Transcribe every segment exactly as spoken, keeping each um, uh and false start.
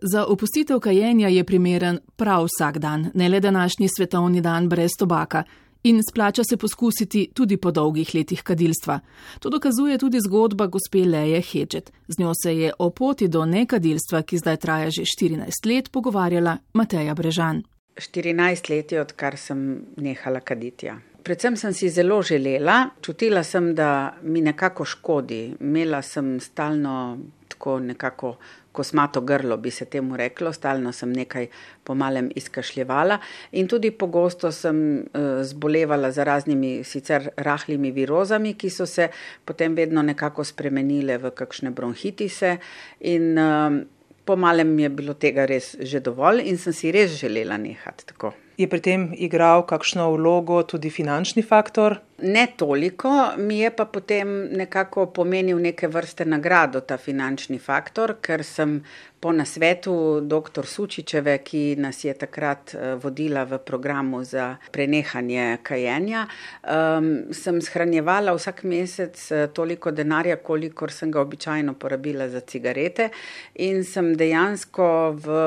Za opustitev kajenja je primeren prav vsak dan, ne le današnji svetovni dan brez tobaka. In splača se poskusiti tudi po dolgih letih kadilstva. To dokazuje tudi zgodba gospe Leje Hedžet. Z njo se je o poti do nekadilstva, ki zdaj traja že štirinajst let, pogovarjala Mateja Brežan. štirinajst let je, odkar sem nehala kaditi. Predvsem sem si zelo želela, čutila sem, da mi nekako škodi. Imela sem stalno tako nekako kosmato grlo, bi se temu reklo, stalno sem nekaj pomalem izkašljevala in tudi pogosto sem uh, zbolevala za raznimi sicer rahlimi virozami, ki so se potem vedno nekako spremenile v kakšne bronhitise in uh, pomalem mi je bilo tega res že dovolj in sem si res želela nehati tako. Je pri tem igral kakšno vlogo tudi finančni faktor? Ne toliko, mi je pa potem nekako pomenil neke vrste nagrado ta finančni faktor, ker sem po nasvetu doktor Sučičeve, ki nas je takrat vodila v programu za prenehanje kajenja, um, sem shranjevala vsak mesec toliko denarja, kolikor sem ga običajno porabila za cigarete in sem dejansko v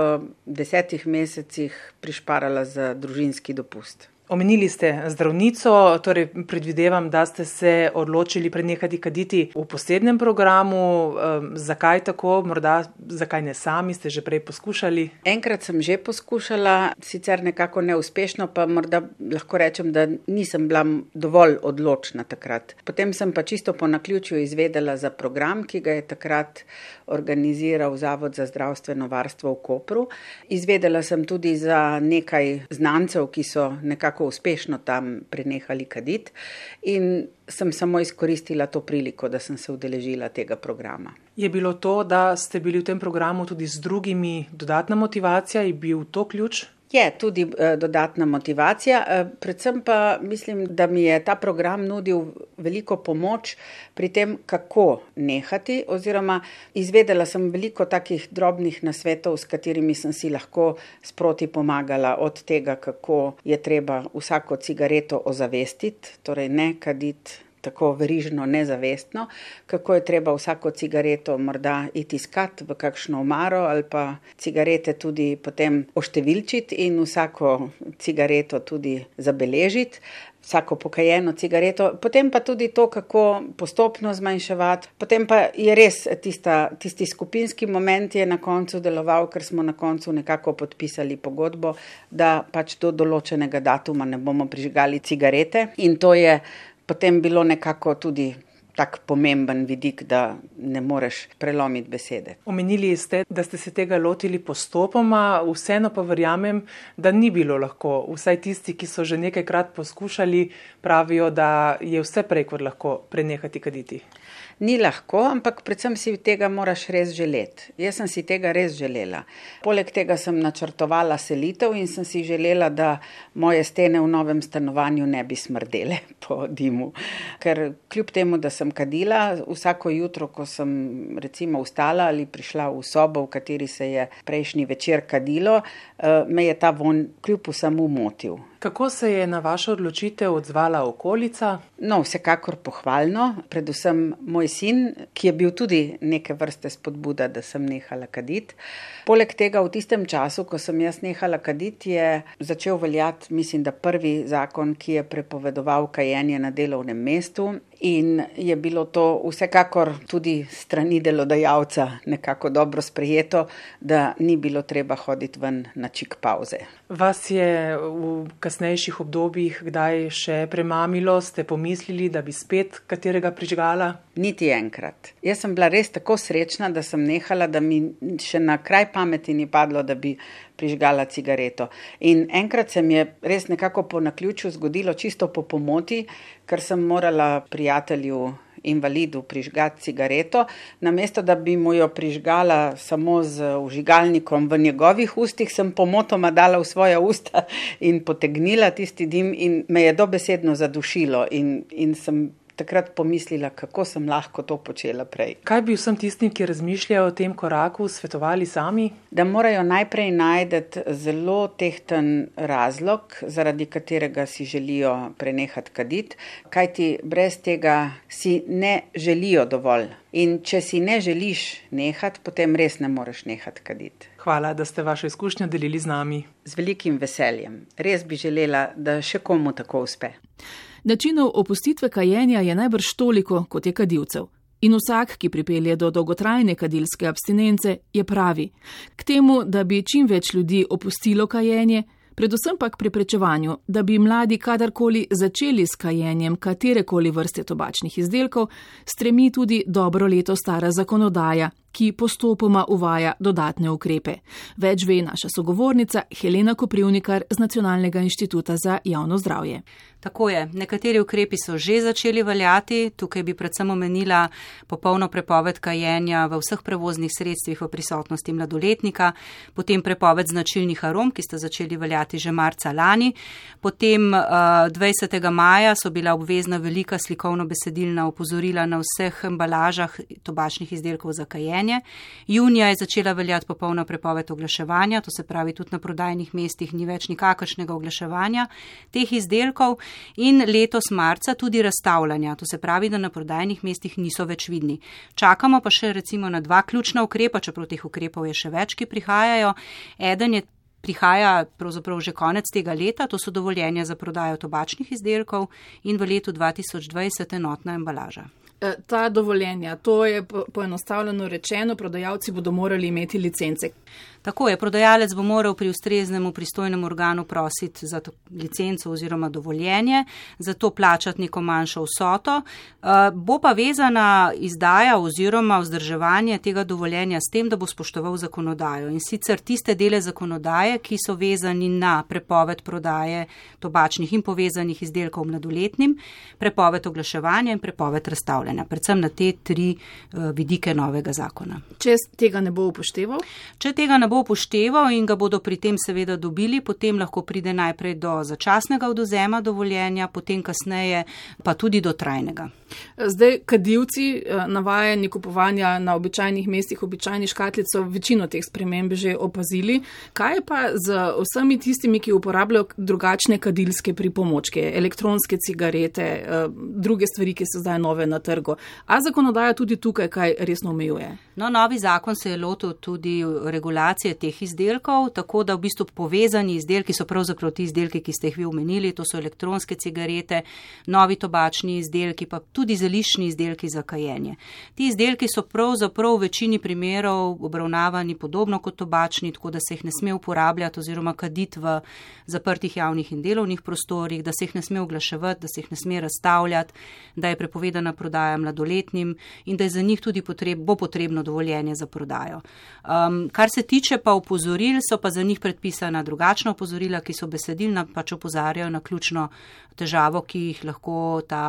desetih mesecih prišparala za družinski dopust. Omenili ste zdravnico, torej predvidevam, da ste se odločili prenehati kaditi v posebnem programu. Um, zakaj tako? Morda zakaj ne sami? Ste že prej poskušali? Enkrat sem že poskušala, sicer nekako neuspešno, pa morda lahko rečem, da nisem bila dovolj odločna takrat. Potem sem pa čisto po naključju izvedela za program, ki ga je takrat organiziral Zavod za zdravstveno varstvo v Kopru. Izvedela sem tudi za nekaj znancev, ki so nekako uspešno tam prenehali kaditi in sem samo izkoristila to priliko, da sem se udeležila tega programa. Je bilo to, da ste bili v tem programu tudi z drugimi dodatna motivacija, je bil to ključ? Je tudi eh, dodatna motivacija, eh, predvsem pa mislim, da mi je ta program nudil veliko pomoč pri tem, kako nehati, oziroma izvedela sem veliko takih drobnih nasvetov, s katerimi sem si lahko sproti pomagala, od tega, kako je treba vsako cigareto ozavestiti, torej ne kaditi tako verižno, nezavestno, kako je treba vsako cigareto morda iti iskat v kakšno omaro ali pa cigarete tudi potem oštevilčiti in vsako cigareto tudi zabeležiti, vsako pokajeno cigareto, potem pa tudi to, kako postopno zmanjševati. Potem pa je res tista, tisti skupinski moment je na koncu deloval, ker smo na koncu nekako podpisali pogodbo, da pač do določenega datuma ne bomo prižgali cigarete in to je potem bilo nekako tudi tak pomemben vidik, da ne moreš prelomiti besede. Omenili ste, da ste se tega lotili postopoma, vseeno pa verjamem, da ni bilo lahko. Vsaj tisti, ki so že nekajkrat poskušali, pravijo, da je vse prej kot lahko prenehati kaditi. Ni lahko, ampak predvsem si tega moraš res želeti. Jaz sem si tega res želela. Poleg tega sem načrtovala selitev in sem si želela, da moje stene v novem stanovanju ne bi smrdele po dimu. Ker kljub temu, da sem kadila, vsako jutro, ko sem recimo vstala ali prišla v sobo, v kateri se je prejšnji večer kadilo, me je ta vonj kljub vsemu motil. Kako se je na vašo odločitev odzvala okolica? No, vsekakor pohvalno, predvsem moj sin, ki je bil tudi neke vrste spodbuda, da sem nehala kaditi. Poleg tega v tistem času, ko sem jaz nehala kaditi, je začel veljati, mislim, da prvi zakon, ki je prepovedoval kajenje na delovnem mestu in je bilo to vsekakor tudi strani delodajalca nekako dobro sprejeto, da ni bilo treba hoditi ven na čik pauze. Vas je v kasnejših obdobjih kdaj še premamilo, ste pomislili, da bi spet katerega prižgala? Niti enkrat. Jaz sem bila res tako srečna, da sem nehala, da mi še na kraj pameti ni padlo, da bi prižgala cigareto. In enkrat se mi je res nekako po naključju zgodilo čisto po pomoti, ker sem morala prijatelju invalidu prižgati cigareto, namesto da bi mu jo prižgala samo z vžigalnikom v njegovih ustih, sem pomotoma dala v svoja usta in potegnila tisti dim in me je dobesedno zadušilo in, in sem takrat pomislila, kako sem lahko to počela prej. Kaj bi vsem tistim, ki razmišljajo o tem koraku, svetovali sami? Da morajo najprej najti zelo tehten razlog, zaradi katerega si želijo prenehati kaditi, kajti brez tega si ne želijo dovolj. In če si ne želiš nehati, potem res ne moreš nehati kaditi. Hvala, da ste vašo izkušnjo delili z nami. Z velikim veseljem. Res bi želela, da še komu tako uspe. Načinov opustitve kajenja je najbrž toliko, kot je kadilcev. In vsak, ki pripelje do dolgotrajne kadilske abstinence, je pravi. K temu, da bi čim več ljudi opustilo kajenje, predvsem pa k preprečevanju, da bi mladi kadarkoli začeli s kajenjem katerekoli vrste tobačnih izdelkov, stremi tudi dobro leto stara zakonodaja, ki postopoma uvaja dodatne ukrepe. Več ve naša sogovornica Helena Koprivnikar z Nacionalnega inštituta za javno zdravje. Tako je, nekateri ukrepi so že začeli veljati, tukaj bi predvsem omenila popolno prepoved kajenja v vseh prevoznih sredstvih v prisotnosti mladoletnika, potem prepoved značilnih arom, ki sta začeli veljati že marca lani, potem dvajsetega maja so bila obvezna velika slikovno-besedilna opozorila na vseh embalažah tobačnih izdelkov za kajenje. Junija je začela veljati popolna prepoved oglaševanja, to se pravi tudi na prodajnih mestih ni več nikakršnega oglaševanja teh izdelkov. In letos marca tudi razstavljanja, to se pravi, da na prodajnih mestih niso več vidni. Čakamo pa še recimo na dva ključna ukrepa, čeprav teh ukrepov je še več, ki prihajajo. Eden je prihaja pravzaprav že konec tega leta, to so dovoljenja za prodajo tobačnih izdelkov in v letu dva tisoč dvajset enotna embalaža. Ta dovoljenja, to je poenostavljeno rečeno, prodajalci bodo morali imeti licence. Tako je, prodajalec bo moral pri ustreznemu pristojnem organu prositi za licenco oziroma dovoljenje, zato plačati neko manjšo vsoto. Bo pa vezana izdaja oziroma vzdrževanje tega dovoljenja s tem, da bo spoštoval zakonodajo. In sicer tiste dele zakonodaje, ki so vezani na prepoved prodaje tobačnih in povezanih izdelkov mladoletnim, prepoved oglaševanja in prepoved razstavljanja. Predvsem na te tri vidike novega zakona. Če tega ne bo upošteval? Če tega ne bo upošteval in ga bodo pri tem seveda dobili, potem lahko pride najprej do začasnega odvzema dovoljenja, potem kasneje pa tudi do trajnega. Zdaj, kadilci navajeni kupovanja na običajnih mestih, običajni škatlic so večino teh sprememb že opazili. Kaj je pa z vsemi tistimi, ki uporabljajo drugačne kadilske pripomočke, elektronske cigarete, druge stvari, ki so zdaj nove na trgu? A zakonodaja tudi tukaj kaj resno omejuje? No, novi zakon se je lotil tudi regulacije teh izdelkov, tako da v bistvu povezani izdelki so pravzaprav ti izdelki, ki ste jih vi omenili, to so elektronske cigarete, novi tobačni izdelki, pa tudi zeliščni izdelki za kajenje. Ti izdelki so pravzaprav v večini primerov obravnavani podobno kot tobačni, tako da se jih ne sme uporabljati oziroma kaditi v zaprtih javnih in delovnih prostorih, da se jih ne sme oglaševati, da se jih ne sme razstavljati, da je prepovedana prodaja mladoletnim in da je za njih tudi potreb, bo potrebno dovoljenje za prodajo. Um, kar se tiče pa opozoril, so pa za njih predpisana drugačna opozorila, ki so besedilna, pač opozarjajo na ključno težavo, ki jih lahko ta,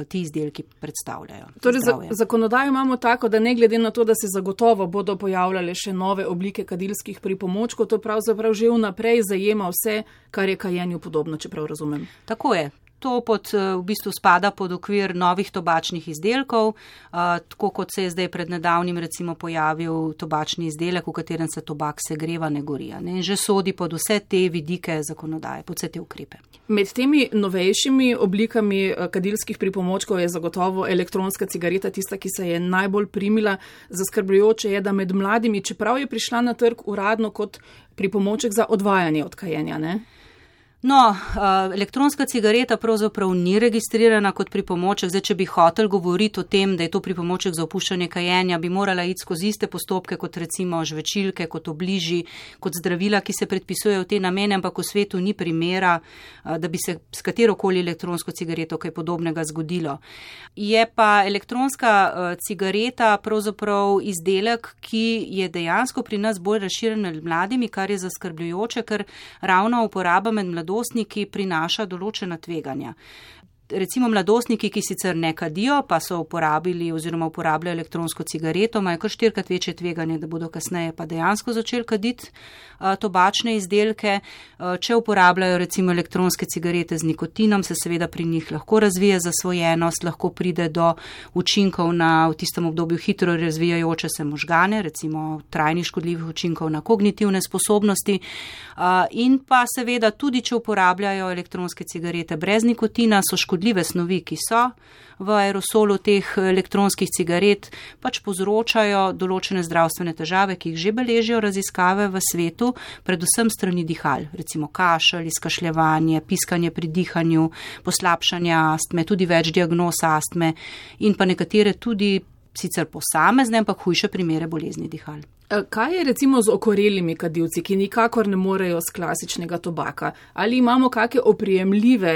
ti izdelki predstavljajo. Torej, za, zakonodajo imamo tako, da ne glede na to, da se zagotovo bodo pojavljale še nove oblike kadilskih pripomočkov, to pravzaprav že vnaprej zajema vse, kar je kajenju podobno, čeprav razumem. Tako je. To pod, v bistvu spada pod okvir novih tobačnih izdelkov, tako kot se je zdaj pred nedavnim recimo pojavil tobačni izdelek, v katerem se tobak segreva, ne gori. Ne? In že sodi pod vse te vidike zakonodaje, pod vse te ukrepe. Med temi novejšimi oblikami kadilskih pripomočkov je zagotovo elektronska cigareta tista, ki se je najbolj primila. Zaskrbljujoče je, da med mladimi, čeprav je prišla na trg uradno kot pripomoček za odvajanje od kajenja, ne? No, elektronska cigareta pravzaprav ni registrirana kot pripomoček. Zdaj, če bi hotel govoriti o tem, da je to pripomoček za opuščanje kajenja, bi morala iti skozi iste postopke kot recimo žvečilke, kot obliži, kot zdravila, ki se predpisujejo v te namene, ampak v svetu ni primera, da bi se s katerokoli elektronsko cigareto kaj podobnega zgodilo. Je pa elektronska cigareta pravzaprav izdelek, ki je dejansko pri nas bolj razširjen med mladimi, kar je zaskrbljujoče, ker ravno uporaba med mladostniki mladostniki prinaša določena tveganja. Recimo mladostniki, ki sicer ne kadijo, pa so uporabili oziroma uporabljajo elektronsko cigareto, imajo kar štirikrat večje tveganje, da bodo kasneje pa dejansko začeli kaditi uh, tobačne izdelke. Uh, če uporabljajo recimo elektronske cigarete z nikotinom, se seveda pri njih lahko razvije zasvojenost, lahko pride do učinkov na v tistem obdobju hitro razvijajoče se možgane, recimo trajnih škodljivih učinkov na kognitivne sposobnosti. Uh, in pa seveda tudi, če uporabljajo elektronske cigarete brez nikotina, so škodljive škodljive snovi, ki so v aerosolu teh elektronskih cigaret, pač povzročajo določene zdravstvene težave, ki jih že beležijo raziskave v svetu, predvsem strani dihal, recimo kašelj, izkašljevanje, piskanje pri dihanju, poslabšanje astme, tudi več diagnoz astme in pa nekatere tudi sicer posamezne, ampak hujše primere bolezni dihal. Kaj je recimo z okorelimi kadilci, ki nikakor ne morejo z klasičnega tobaka? Ali imamo kakšne oprijemljive,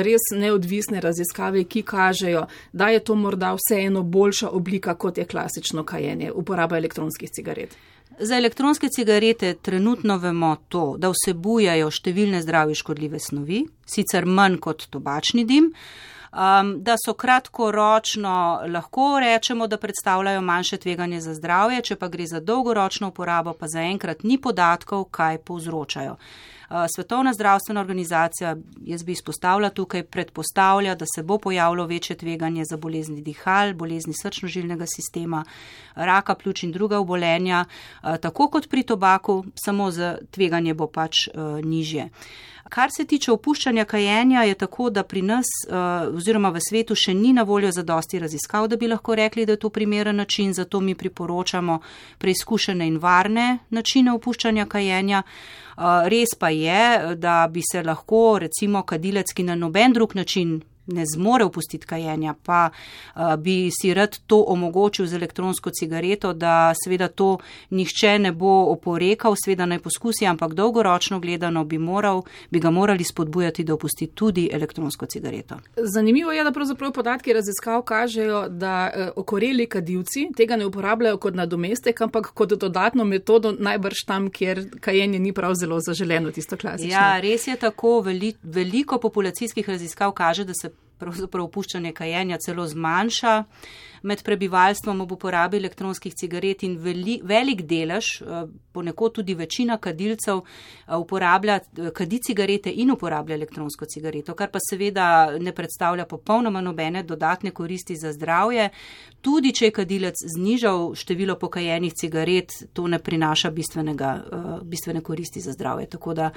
res neodvisne raziskave, ki kažejo, da je to morda vseeno boljša oblika, kot je klasično kajenje, uporaba elektronskih cigaret? Za elektronske cigarete trenutno vemo to, da vsebujajo številne zdravju škodljive snovi, sicer manj kot tobačni dim, Um, da so kratkoročno lahko rečemo, da predstavljajo manjše tveganje za zdravje, če pa gre za dolgoročno uporabo, pa zaenkrat ni podatkov, kaj povzročajo. Uh, Svetovna zdravstvena organizacija, jaz bi izpostavila tukaj, predpostavlja, da se bo pojavilo večje tveganje za bolezni dihal, bolezni srčno-žilnega sistema, raka pljuč in druga obolenja, uh, tako kot pri tobaku, samo za tveganje bo pač uh, nižje. Kar se tiče opuščanja kajenja, je tako, da pri nas oziroma v svetu še ni na voljo zadosti raziskav, da bi lahko rekli, da je to primeren način, zato mi priporočamo preizkušene in varne načine opuščanja kajenja. Res pa je, da bi se lahko recimo kadilec, ki na noben drug način ne zmore opustiti kajenja, pa uh, bi si rad to omogočil z elektronsko cigareto, da seveda to nihče ne bo oporekal, seveda naj poskusi, ampak dolgoročno gledano bi, moral, bi ga morali spodbujati, da opusti tudi elektronsko cigareto. Zanimivo je, da pravzaprav podatki raziskav kažejo, da uh, okoreli kadilci tega ne uporabljajo kot nadomestek, ampak kot dodatno metodo najbrž tam, kjer kajenje ni prav zelo zaželeno, tisto klasično. Ja, res je tako, veli, veliko populacijskih raziskav kaže, da se pravzaprav opuščanje kajenja celo zmanjša med prebivalstvom ob uporabi elektronskih cigaret in veli, velik delež, ponekod tudi večina kadilcev uporablja, kadi cigarete in uporablja elektronsko cigareto, kar pa seveda ne predstavlja popolnoma nobene dodatne koristi za zdravje. Tudi če je kadilec znižal število pokajenih cigaret, to ne prinaša bistvenega, bistvene koristi za zdravje. Tako da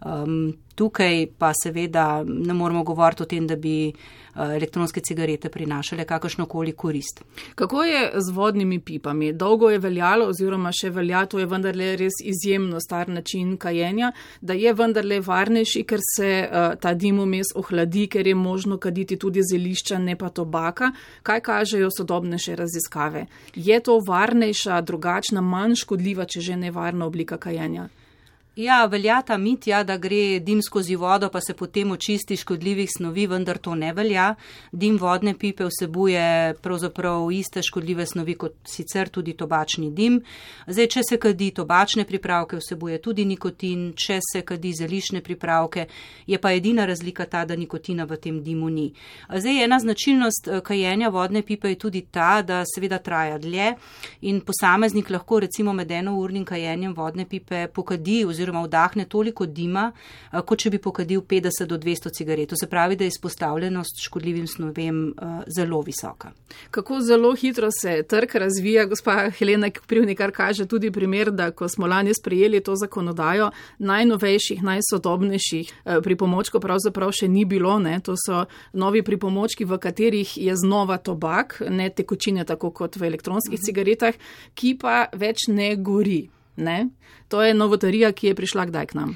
um, tukaj pa seveda ne moramo govoriti o tem, da bi elektronske cigarete prinašale kakršnokoli korist. Kako je z vodnimi pipami? Dolgo je veljalo oziroma še velja, to je vendarle res izjemno star način kajenja, da je vendarle varnejši, ker se uh, ta dim vmes ohladi, ker je možno kaditi tudi zelišča, ne pa tobaka. Kaj kažejo sodobnejše raziskave? Je to varnejša, drugačna, manj škodljiva, če že nevarna oblika kajenja? Ja, velja ta mit, ja, da gre dim skozi vodo, pa se potem očisti škodljivih snovi, vendar to ne velja. Dim vodne pipe vsebuje pravzaprav iste škodljive snovi kot sicer tudi tobačni dim. Zdaj, če se kadi tobačne pripravke, vsebuje tudi nikotin, če se kadi zeliščne pripravke, je pa edina razlika ta, da nikotina v tem dimu ni. Zdaj, ena značilnost kajenja vodne pipe je tudi ta, da seveda traja dlje in posameznik lahko recimo med enournim kajenjem vodne pipe pokadi oziroma vdahne toliko dima, kot če bi pokadil petdeset do dvesto cigaret. To se pravi, da je izpostavljenost škodljivim snovem uh, zelo visoka. Kako zelo hitro se trg razvija, gospa Helena Koprivnikar kaže tudi primer, da ko smo lani sprejeli to zakonodajo, najnovejših, najsodobnejših uh, pripomočkov pravzaprav še ni bilo. Ne? To so novi pripomočki, v katerih je znova tobak, ne tekočine tako kot v elektronskih uh-huh. cigaretah, ki pa več ne gori. Ne? To je novotarija, ki je prišla kdaj k nam.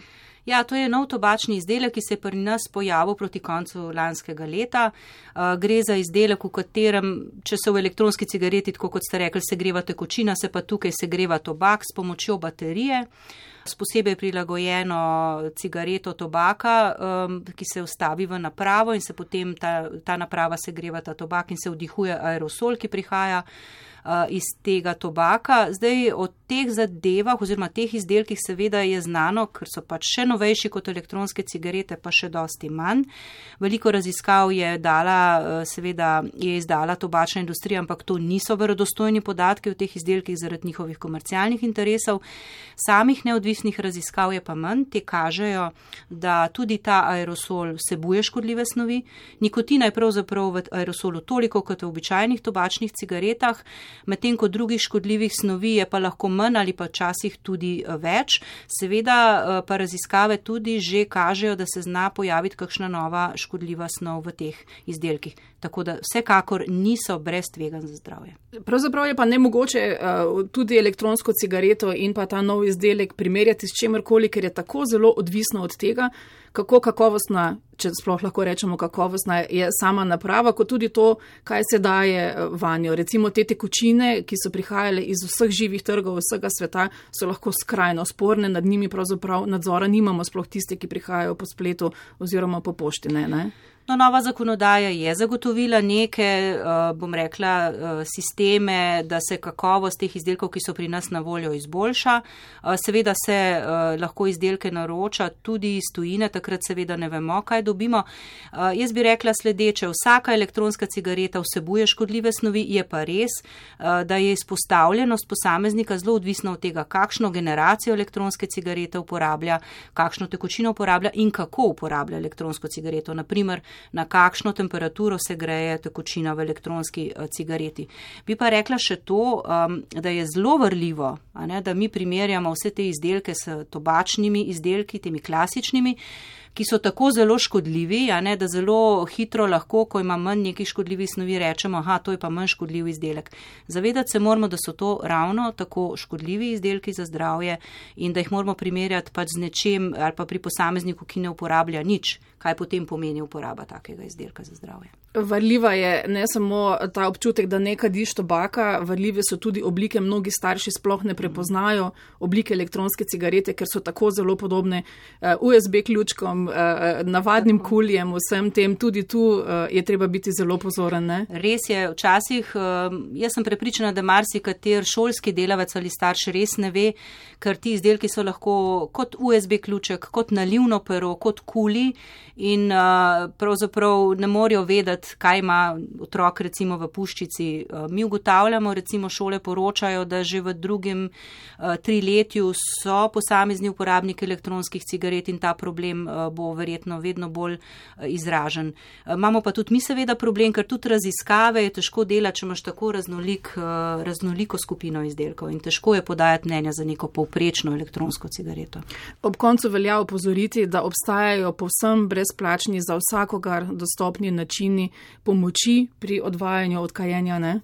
Ja, to je nov tobačni izdelek, ki se je pri nas pojavil proti koncu lanskega leta. Uh, gre za izdelek, v katerem, če se v elektronski cigareti, tako kot ste rekli, segreva tekočina, se pa tukaj segreva tobak s pomočjo baterije, s posebej prilagojeno cigareto tobaka, um, ki se vstavi v napravo in se potem ta, ta naprava segreva ta tobak in se vdihuje aerosol, ki prihaja iz tega tobaka. Zdaj o teh zadevah oziroma teh izdelkih seveda je znano, ker so pač še novejši kot elektronske cigarete, pa še dosti manj. Veliko raziskav je dala, seveda je izdala tobačna industrija, ampak to niso verodostojni podatki o teh izdelkih zaradi njihovih komercialnih interesov. Samih neodvisnih raziskav je pa manj, te kažejo, da tudi ta aerosol vsebuje škodljive snovi. Nikotina je pravzaprav v aerosolu toliko kot v običajnih tobačnih cigaretah. medtem ko drugih škodljivih snovi je pa lahko manj ali pa včasih tudi več. Seveda pa raziskave tudi že kažejo, da se zna pojaviti kakšna nova škodljiva snov v teh izdelkih. Tako da vsekakor niso brez tveganj za zdravje. Pravzaprav je pa nemogoče uh, tudi elektronsko cigareto in pa ta nov izdelek primerjati s čemerkoli, ker je tako zelo odvisno od tega, kako kakovostna, če sploh lahko rečemo kakovostna, je sama naprava, kot tudi to, kaj se daje vanjo. Recimo te tekočine, ki so prihajale iz vseh živih trgov vsega sveta, so lahko skrajno sporne, nad njimi pravzaprav nadzora nimamo, sploh tiste, ki prihajajo po spletu oziroma po pošti, ne, ne? No, nova zakonodaja je zagotovila neke, bom rekla, sisteme, da se kakovost teh izdelkov, ki so pri nas na voljo, izboljša. Seveda se lahko izdelke naroča tudi iz tujine, takrat seveda ne vemo, kaj dobimo. Jaz bi rekla sledeče, vsaka elektronska cigareta vsebuje škodljive snovi, je pa res, da je izpostavljenost posameznika zelo odvisna od tega, kakšno generacijo elektronske cigarete uporablja, kakšno tekočino uporablja in kako uporablja elektronsko cigareto. Naprimer, na kakšno temperaturo se greje tekočina v elektronski uh, cigareti. Bi pa rekla še to, um, da je zelo vrljivo, a ne, da mi primerjamo vse te izdelke s tobačnimi izdelki, temi klasičnimi, ki so tako zelo škodljivi, a ne, da zelo hitro lahko, ko ima manj nekih škodljivih snovi, rečemo, aha, to je pa manj škodljiv izdelek. Zavedati se moramo, da so to ravno tako škodljivi izdelki za zdravje in da jih moramo primerjati pač z nečem ali pa pri posamezniku, ki ne uporablja nič, kaj potem pomeni uporaba takega izdelka za zdravje. Varljiva je ne samo ta občutek, da ne kadiš tobaka, varljive so tudi oblike, mnogi starši sploh ne prepoznajo oblike elektronske cigarete, ker so tako zelo podobne U S B ključkom, navadnim kuljem, vsem tem, tudi tu je treba biti zelo pozoren, ne? Res je, včasih, jaz sem prepričana, da marsikater šolski delavec ali starš res ne ve, ker ti izdelki so lahko kot U S B ključek, kot nalivno pero, kot kuli in pravzaprav ne morejo vedeti, kaj ima otrok recimo v puščici. Mi ugotavljamo, recimo šole poročajo, da že v drugem triletju so posamezni uporabniki elektronskih cigaret in ta problem bo verjetno vedno bolj izražen. Imamo pa tudi mi seveda problem, ker tudi raziskave je težko delati, če imaš tako raznolik, raznoliko skupino izdelkov in težko je podajati mnenja za neko povprečno elektronsko cigareto. Ob koncu velja opozoriti, da obstajajo povsem brezplačni za vsakogar dostopni načini pomoči pri odvajanju od kajenja, ne?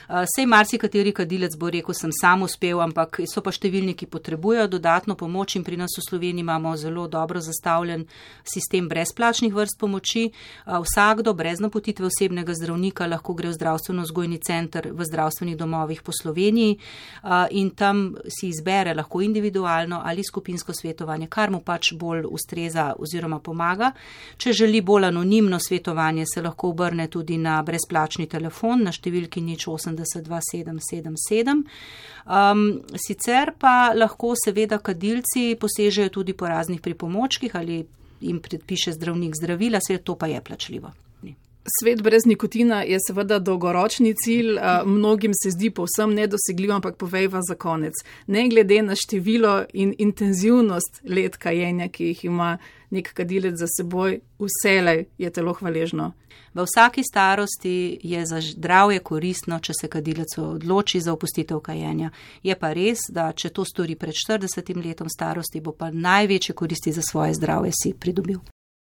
Sej marsikateri kadilec bo rekel, sem sam uspel, ampak so pa številni, ki potrebujejo dodatno pomoč in pri nas v Sloveniji imamo zelo dobro zastavljen sistem brezplačnih vrst pomoči. Vsakdo brez napotitve osebnega zdravnika lahko gre v zdravstveno-vzgojni center v zdravstvenih domovih po Sloveniji in tam si izbere lahko individualno ali skupinsko svetovanje, kar mu pač bolj ustreza oziroma pomaga. Če želi bolj anonimno svetovanje, se lahko obrne tudi na brezplačni telefon na številki nič osemdeset dva sedem sedem sedem. Um, sicer pa lahko seveda kadilci posežejo tudi po raznih pripomočkih ali jim predpiše zdravnik zdravila, vse to pa je plačljivo. Svet brez nikotina je seveda dolgoročni cilj, mnogim se zdi povsem nedosegljiv, ampak povejva za konec. Ne glede na število in intenzivnost let kajenja, ki jih ima nek kadilec za seboj, vselej je telo hvaležno. V vsaki starosti je za zdravje koristno, če se kadilec odloči za opustitev kajenja. Je pa res, da če to stori pred štiridesetim letom starosti, bo pa največje koristi za svoje zdravje si pridobil.